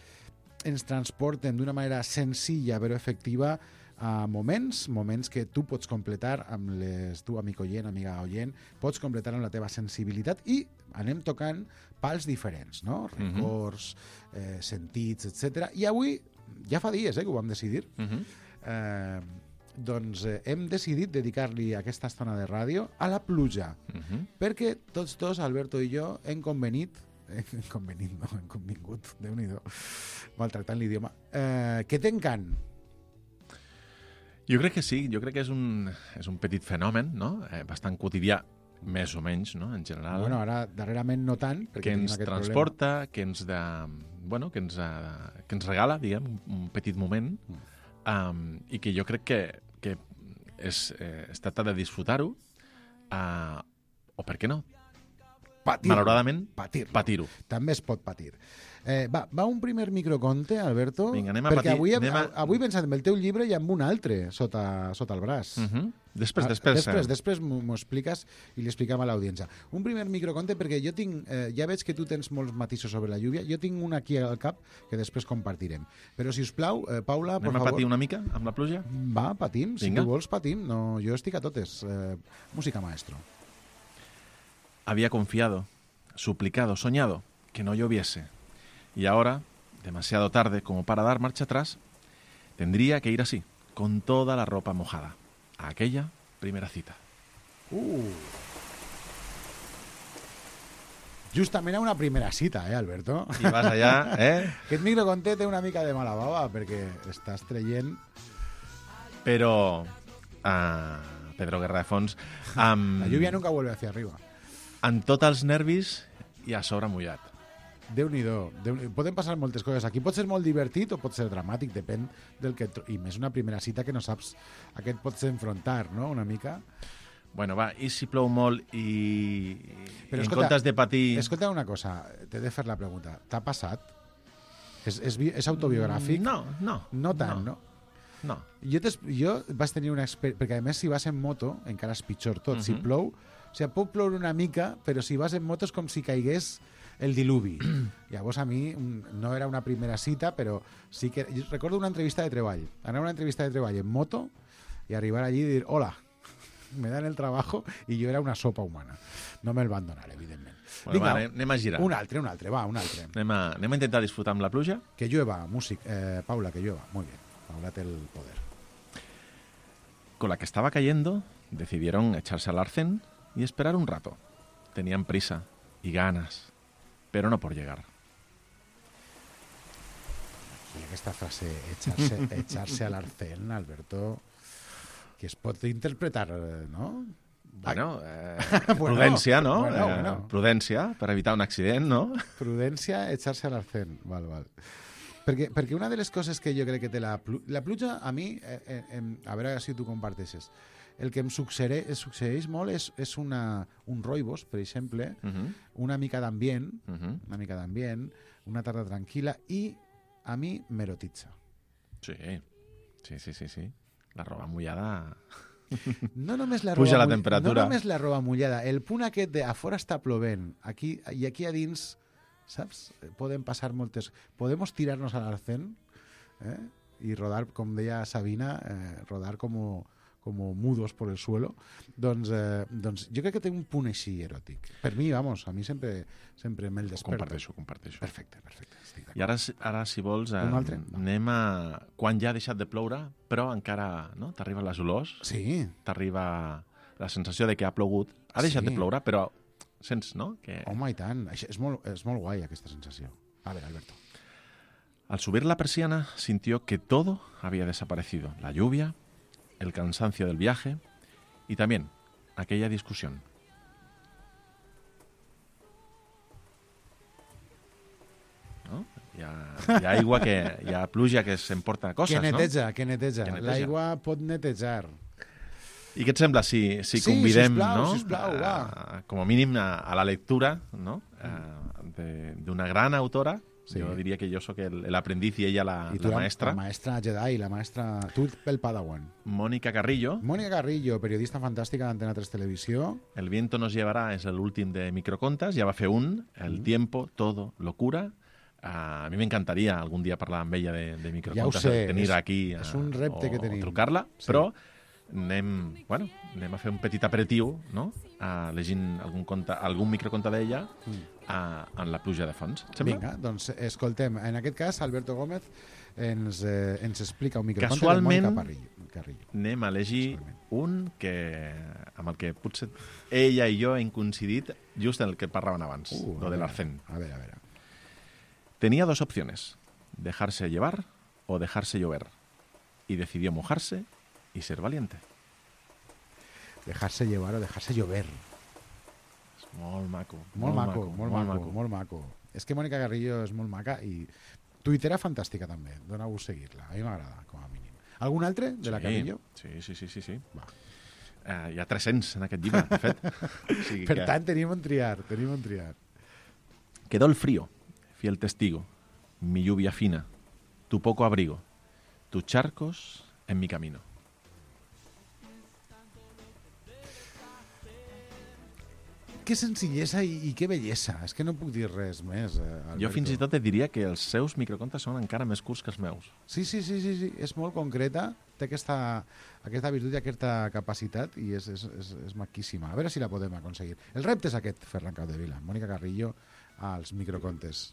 ens transporten d'una manera senzilla però efectiva a moments, moments que tu pots completar amb les, tu, amic oient, amiga oient, pots completar amb la teva sensibilitat i anem tocant pals diferents, no? Mhm. Records, eh, sentits, etcètera. I avui, ja fa dies eh, que ho vam decidir, Uh -huh. eh, doncs eh, hem decidit dedicar-li aquesta estona de ràdio a la pluja, Uh -huh. perquè tots dos, Alberto i jo, hem convenit, eh, hem convenit, no, hem convingut, Déu-n'hi-do, maltractant l'idioma, eh, que t'encant. Jo crec que sí, jo crec que és un, és un petit fenomen, no? Eh, bastant quotidià, més o menys, no? En general. Bueno, ara, darrerament no tant, perquè que tenim ens aquest transporta, que ens, de, bueno, que, ens, eh, que ens regala, diguem, un, un petit moment, um, i que jo crec que, que és, eh, es tracta de disfrutar-ho, uh, o per què no? Patir-lo. Malauradament, Patir-lo. patir-ho. També es pot patir. Eh, va, va un primer microconte, Alberto? Vinga, anem a perquè patir, avui, hem, anem a- avui he pensat en el teu llibre i amb un altre sota, sota el braç. Uh -huh. Després, Ah, després. Després, eh, després m'ho m'ho expliques i li expliquem a l'audiència. Un primer microconte, perquè jo tinc... Eh, ja veig que tu tens molts matisos sobre la lluvia. Jo tinc un aquí al cap que després compartirem. Però, si us plau, eh, Paula, por Anem a favor... patir una mica amb la pluja? Va, patim. Si Vinga. tu vols, patim. No, jo estic a totes. Eh, música, maestro. Había confiado, suplicado, soñado que no lloviese. Y ahora, demasiado tarde como para dar marcha atrás, tendría que ir así, con toda la ropa mojada, a aquella primera cita. Uh. Justament a una primera cita, eh, Alberto? I vas allà, eh? Aquest microconte té una mica de mala bava, perquè estàs traient... Però, uh, Pedro Guerra de Fons, amb, La lluvia nunca vuelve hacia arriba. amb tots els nervis i a sobre mullat. Déu-n'hi-do. Déu Poden passar moltes coses. Aquí pot ser molt divertit o pot ser dramàtic, depèn del que... tro- I més una primera cita que no saps a què et pots enfrontar, no?, una mica. Bueno, va, i si plou molt i, Però, i en escolta, comptes de patir... Escolta una cosa, t'he de fer la pregunta. T'ha passat? És, és, vi- és autobiogràfic? No, no. No tant, no? No. Jo, t'es- jo vas tenir una experiència... Perquè, a més, si vas en moto, encara és pitjor tot. Si Mhm. plou... O sigui, pot ploure una mica, però si vas en moto és com si caigués el diluvi. Llavors, a mi mm, no era una primera cita, però sí que... Jo recordo una entrevista de treball. Anar a una entrevista de treball en moto i arribar allí i dir, hola, me dan el trabajo, i jo era una sopa humana. No me'l van donar, evidentment. Bueno, va, anem, anem a girar. Un altre, un altre, va, un altre. Anem a, anem a intentar disfrutar amb la pluja. Que llueva, músic. Eh, Paula, que llueva. Muy bien. Paula té el poder. Con la que estaba cayendo, decidieron echarse al arcén y esperar un rato. Tenían prisa y ganas, pero no por llegar. aquesta frase, echarse, echarse al arcén, Alberto, que es pot interpretar, no? Bueno, eh, Bueno, prudència, no? bueno, Eh, bueno. Prudència, per evitar un accident, no? Prudència, echarse al arcén. Val, val. Perquè, perquè una de les coses que jo crec que té la, plu la pluja, a mi, eh, eh, a veure si tu comparteixes, el que em succeeix, succeeix molt és, és una, un roibos, per exemple, Uh -huh. una mica d'ambient, Uh -huh. una mica d'ambient, una tarda tranquil·la, i a mi m'erotitza. Sí, sí, sí, sí, sí. La roba mullada... No només la Puja roba la mull- temperatura. No només la roba mullada, el punt aquest de a fora està plovent, aquí, i aquí a dins, saps? Poden passar moltes... Podemos tirarnos al arcén, eh? Y rodar, com deia Sabina, eh, rodar como, como mudos por el suelo. Doncs, eh, doncs jo crec que té un punt així eròtic. Per mi, vamos, a mi sempre, sempre me'l desperta. Comparteixo, comparteixo. Perfecte, perfecte. Estic I ara, si- ara si vols, eh, Un altre? anem a... Quan ja ha deixat de ploure, però encara no? T'arriben les olors, sí. T'arriba la sensació de que ha plogut. Ha deixat Sí. de ploure, però sents, no? Que Home, i tant. Això és, molt, és molt guai, aquesta sensació. A veure, Alberto. al subir la persiana sintió que todo había desaparecido. La lluvia, el cansancio del viaje y también aquella discusión. No? Hi ha, hi ha aigua que... Hi ha pluja que s'emporta coses, que neteja, no? que neteja. Que neteja. L'aigua pot netejar. I què et sembla si, si Sí, convidem, sisplau, no? sisplau, va. A, com a mínim a, a la lectura, no? D'una gran autora. Sí. Jo diria que jo sóc el- l'aprendiz i ella la, I tu la maestra. La maestra Jedi, la maestra... Tu el Padawan. Mónica Carrillo. Mónica Carrillo, periodista fantàstica d'Antena tres Televisió. El viento nos llevará és l'últim de microcontes, ja va fer un, El Mm. tiempo, todo, locura. Uh, a mi m'encantaria algun dia parlar amb ella de, de Ja ho microcontes, sé, tenir és, aquí uh, és un repte o, que tenim. o trucar-la, Sí. però anem, bueno, anem a fer un petit aperitiu, no? Uh, llegint algun, conte, algun microconte d'ella Mm. uh, en la pluja de fons. Et sembla? Vinga, doncs escoltem. En aquest cas, Alberto Gómez ens, eh, ens explica un microconte Casualment, de Mónica Parrillo, Carrillo. anem a llegir un que, amb el que potser ella i jo hem coincidit just en el que parlaven abans, Uh, lo a del veure, arcén. A veure, a veure. Tenía dos opciones, dejarse llevar o dejarse llover. Y decidió mojarse y ser valiente. Dejarse llevar o dejarse llover. És molt maco. Molt, maco, molt, maco, molt maco. És que Mónica Carrillo és molt maca i tuitera fantàstica també. Doneu-vos seguir-la. A mi m'agrada, com a mínim. Algun altre de la Sí, Carrillo? Sí, sí, sí, sí. sí. Va. Uh, hi ha tres-cents en aquest llibre, de fet. O sigui Per que tant, tenim on triar, tenim on triar. Quedó el frío, fiel testigo, mi lluvia fina, tu poco abrigo, tus charcos en mi camino. Que senzillesa i, i que bellesa. És que no puc dir res més, eh, Alberto. Jo fins i tot et diria que els seus microcontes són encara més curts que els meus. Sí, sí, sí, sí, sí. És molt concreta, té aquesta, aquesta virtut i aquesta capacitat i és, és, és, és maquíssima. A veure si la podem aconseguir. El repte és aquest, Ferran Capdevila, Mónica Carrillo, als microcontes.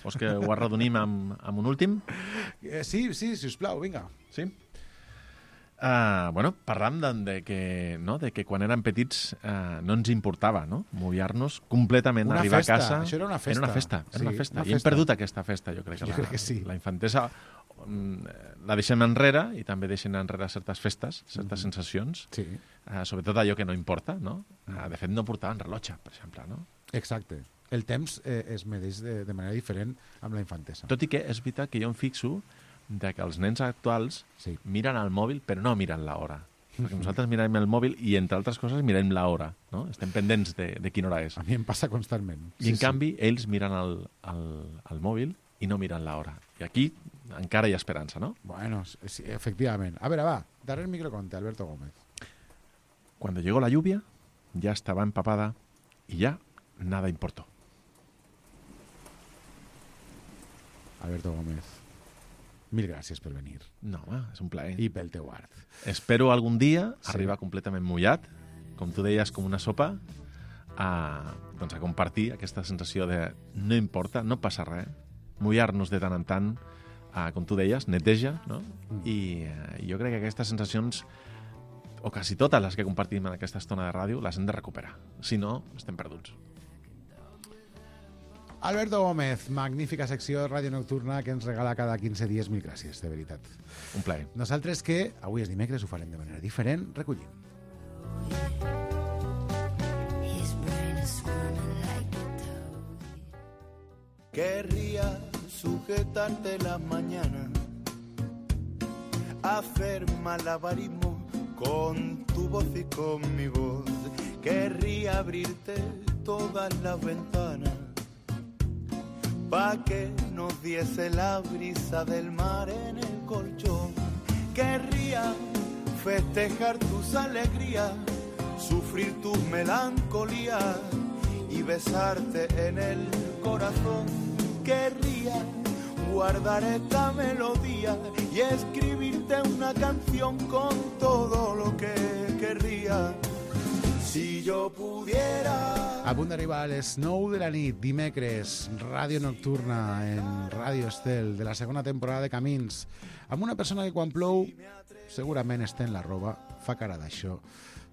Vols que ho arredonim amb, amb un últim? Eh, sí, sí, sisplau, vinga. Sí? Uh, bueno, parlam de, de, que, no? de que quan érem petits uh, no ens importava, no? Mullar-nos completament, Una arribar festa, a casa... això era una festa. Era una festa, era Sí, una festa. una I hem festa. perdut aquesta festa, jo crec. Jo la, crec que sí. La infantesa mm, la deixem enrere i també deixem enrere certes festes, certes Mhm. sensacions, Sí. uh, sobretot allò que no importa, no? Uh, de fet, no portaven rellotge, per exemple, no? Exacte. El temps eh, es medeix de, de manera diferent amb la infantesa. Tot i que és veritat que jo em fixo de que els nens actuals sí. miren el mòbil però no miren l'hora. Perquè nosaltres mirem el mòbil i, entre altres coses, mirem l'hora, no? Estem pendents de, de quina hora és. A mi em passa constantment. I, en canvi, ells miren el, el, el mòbil i no miren l'hora. I aquí encara hi ha esperança, no? Bueno, sí, efectivament. A veure, va, darrer microconte, Alberto Gómez. Cuando llegó la lluvia, ya estaba empapada y ya nada importó. Alberto Gómez, mil gràcies per venir. No, home, és un plaer. I pel teu art. Espero algun dia Sí. arribar completament mullat, com tu deies, com una sopa, a, doncs a compartir aquesta sensació de no importa, no passa res, mullar-nos de tant en tant, a, com tu deies, neteja, no? Mm. I eh, jo crec que aquestes sensacions, o quasi totes les que compartim en aquesta estona de ràdio, les hem de recuperar. Si no, estem perduts. Alberto Gómez, magnífica secció Ràdio Nocturna que ens regala cada quinze dies. Mil gràcies, de veritat. Un plaer. Nosaltres que avui és dimecres ho farem de manera diferent, recollim. Querría sujetarte las mañanas, hacer malabarismo con tu voz y con mi voz. Querría abrirte todas las ventanas pa' que nos diese la brisa del mar en el colchón. Querría festejar tus alegrías, sufrir tus melancolías y besarte en el corazón. Querría guardar esta melodía y escribirte una canción con todo lo que querría. Si jo pudiera... A punt d'arribar a les nou de la nit, dimecres, Ràdio Nocturna en Ràdio Estel, de la segona temporada de Camins, amb una persona que quan plou segurament està en la roba, fa cara d'això.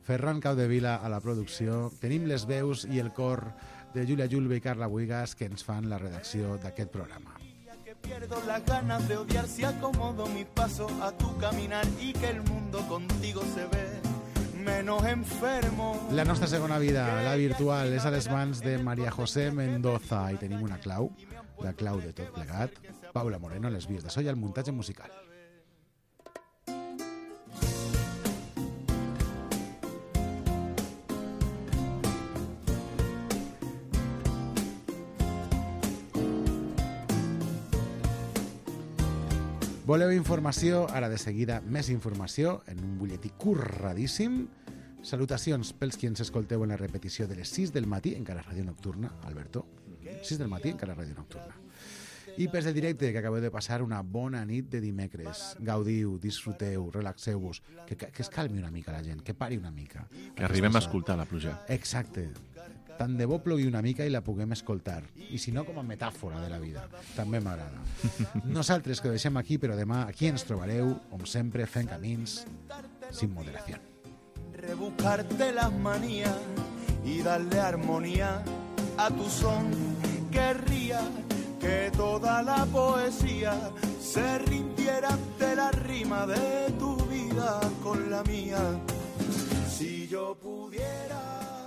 Ferran Caudevila a la producció, tenim les veus i el cor de Júlia Julve i Carla Buigas que ens fan la redacció d'aquest programa. Que pierdo las ganas de odiar si acomodo mi paso a tu caminar y que el mundo contigo se ve menos enfermo. La nostra segona vida, la virtual, és a les mans de María José Mendoza i tenim una clau, la clau de tot plegat, Paula Moreno, les vies de so i el muntatge musical. Voleu informació? Ara de seguida més informació en un butlletí curradíssim. Salutacions pels qui ens escolteu en la repetició de les sis del matí, encara Ràdio Nocturna, Alberto. sis del matí, encara Ràdio Nocturna. I pels de directe, que acabeu de passar una bona nit de dimecres. Gaudiu, disfruteu, relaxeu-vos, que, que, que es calmi una mica la gent, que pari una mica. Que arribem a escoltar la pluja. Exacte. Tant de bo plogui una mica i la puguem escoltar. I si no, com a metàfora de la vida. També m'agrada. Nosaltres que ho deixem aquí, però demà aquí ens trobareu, com sempre, fent camins sin moderació. Rebuscarte las manías y darle armonía a tu son. Querría que toda la poesía se rindiera ante la rima de tu vida con la mía. Si yo pudiera